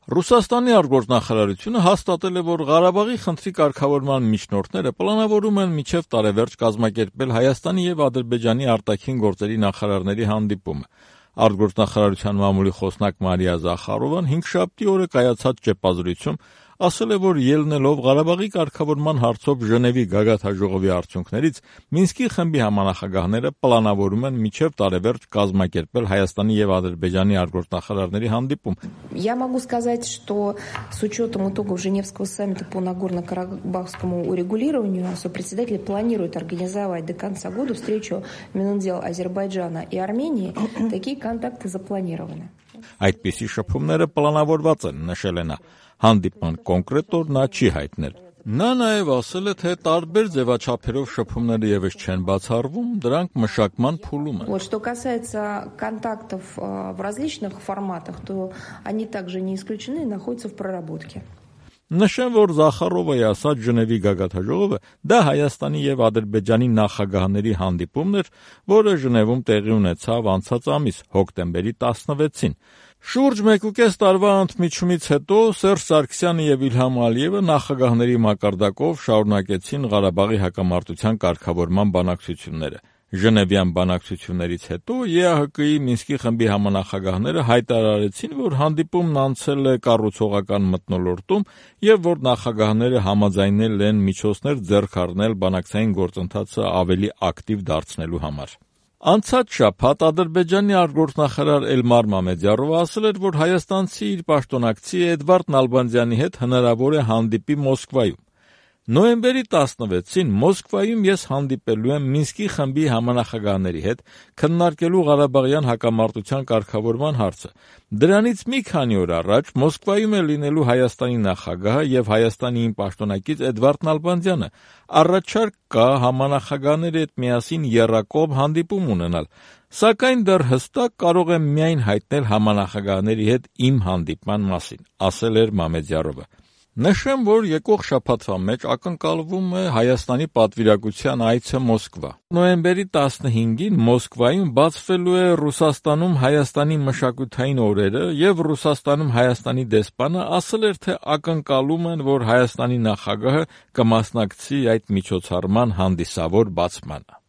Ռուսաստանի արտգործնախարարությունը հաստատել է, որ Ղարաբաղի խնդրի կարգավորման միջնորդները պլանավորում են մինչև տարեվերջ կազմակերպել Հայաստանի եւ Ադրբեջանի արտաքին գործերի նախարարների հանդիպումը։ Արտգործնախարարության մամուլի խոսնակ Մարիա Զախարովան հինգշաբթի օրը կայացած ճեպազրույցում ասել է, որ ելնելով Ղարաբաղի կարգավորման հարցով Ժնևի գագաթնաժողովի արդյունքներից, Մինսկի խմբի համանախագահները պլանավորում են մինչև տարեվերջ կազմակերպել Հայաստանի եւ Ադրբեջանի արտգործնախարարների հանդիպում։ Я могу сказать, что с учетом итогов Женевского саммита по Нагорно-Карабахскому урегулированию сопредседатели планируют организовать до конца года встречу Миндел Азербайджана и Армении. Такие контакты запланированы. Այդպիսի շփումները պլանավորված են, նշել է նա։ Հանդիպման կոնկրետ օր նա չի հայտնել։ Նա նաև ասել է, թե տարբեր ձևաչափերով շփումները եւս չեն բացառվում, դրանք մշակման փուլում են։ Вот что касается контактов в различных форматах, то они также не исключены и находятся в проработке. Նշեմ, որ Զախարովայի ասած Ժնևի գագաթնաժողովը դա Հայաստանի եւ Ադրբեջանի նախագահների հանդիպումն էր, որը Ժնևում տեղի ունեցավ անցած ամիս հոկտեմբերի 16-ին։ Շուրջ 1.5 տարվա ընդմիջումից հետո Սերժ Սարգսյանը եւ Իլհամ Ալիևը նախագահների մակարդակով շարունակեցին Ղարաբաղի հակամարտության կարգավորման բանակցությունները։ Ժնևյան բանակցություններից հետո ԵԱՀԿ-ի Մինսկի խմբի համանախագահները հայտարարեցին, որ հանդիպումն անցել է կառուցողական մթնոլորտում եւ որ նախագահները համաձայնել են միջոցներ ձեռք առնել բանակցային գործընթացը ավելի ակտիվ դարձնելու համար։ Անցած շաբաթ Ադրբեջանի արտգործնախարար Էլմար Մամեդյարովը ասել էր, որ հայաստանցի իր պաշտոնակցի Էդվարդ Նալբանդյանի հետ հնարավոր է հանդիպի Մոսկվայում։ Նոյեմբերի 16-ին Մոսկվայում ես հանդիպելու եմ Մինսկի խմբի համանախագահների հետ քննարկելու Ղարաբաղյան հակամարտության կարգավորման հարցը։ Դրանից մի քանի օր առաջ Մոսկվայում է լինելու Հայաստանի նախագահը եւ Հայաստանի իմ պաշտոնակից Էդվարդ Նալբանդյանը։ Առաջարկ կա համանախագահների հետ միասին եռակողմ հանդիպում ունենալ, սակայն դեռ հստակ կարող եմ միայն հայտնել համանախագահների հետ իմ հանդիպման մասին, ասել էր Մամեդյարովը։ Նշեմ, որ եկող շաբաթվա մեջ ակնկալվում է Հայաստանի պատվիրակության այցը Մոսկվա։ Նոյեմբերի 15-ին Մոսկվայում բացվելու է Ռուսաստանում Հայաստանի մշակութային օրերը եւ Ռուսաստանում Հայաստանի դեսպանը ասել էր, թե ակնկալում են, որ Հայաստանի նախագահը կմասնակցի այդ միջոցառման հանդիսավոր բացմանը։